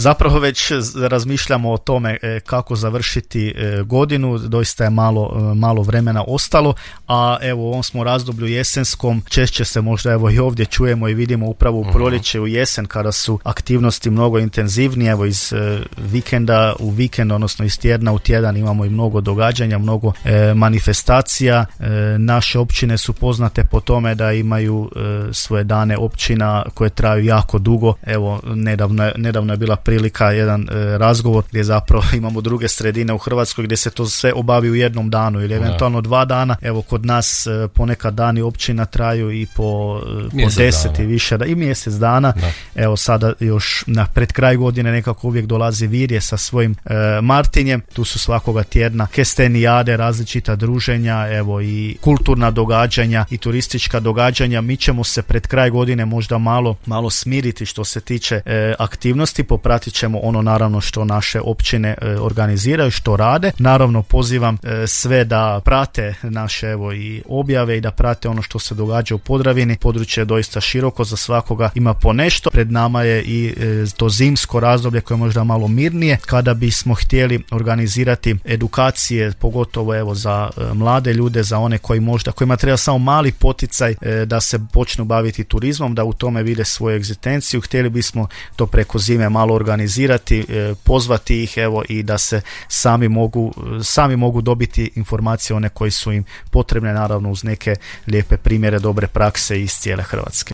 Zapravo već razmišljamo o tome kako završiti godinu, doista je malo vremena ostalo, a evo u ovom smo razdoblju jesenskom, češće se možda evo i ovdje čujemo i vidimo upravo u proljeće, u jesen, kada su aktivnosti mnogo intenzivnije, evo iz vikenda u vikend, odnosno iz tjedna u tjedan imamo i mnogo događanja, mnogo manifestacija. Naše općine su poznate po tome da imaju svoje dane općina koje traju jako dugo. Evo, nedavno je bila prilika, jedan razgovor gdje zapravo imamo druge sredine u Hrvatskoj gdje se to sve obavi u jednom danu ili eventualno 2 dana. Evo, kod nas ponekad dani općina traju i po 10 i više, i mjesec dana. Da. Evo, sada još pred kraj godine nekako uvijek dolazi Virje sa svojim Martinjem. Tu su svakoga tjedna kestenijade, različita druženja, evo i kulturna događanja i turistička događanja. Mi ćemo se pred kraj godine možda malo smiriti što se tiče aktivnosti, popratit ćemo ono naravno što naše općine organiziraju, što rade. Naravno pozivam sve da prate naše evo i objave i da prate ono što se događa u Podravini. Područje je doista široko, za svakoga ima po nešto. Pred nama je i to zimsko razdoblje koje je možda malo mirnije, kada bismo htjeli organizirati edukacije, pogotovo evo za mlade ljude, za one kojima treba samo mali poticaj da se počnu baviti turizmom, da u tome vide svoju egzistenciju. Htjeli bismo to preko zime malo organizirati, pozvati ih evo i da se sami mogu dobiti informacije one koje su im potrebne, naravno uz neke lijepe primjere dobre prakse iz cijele Hrvatske.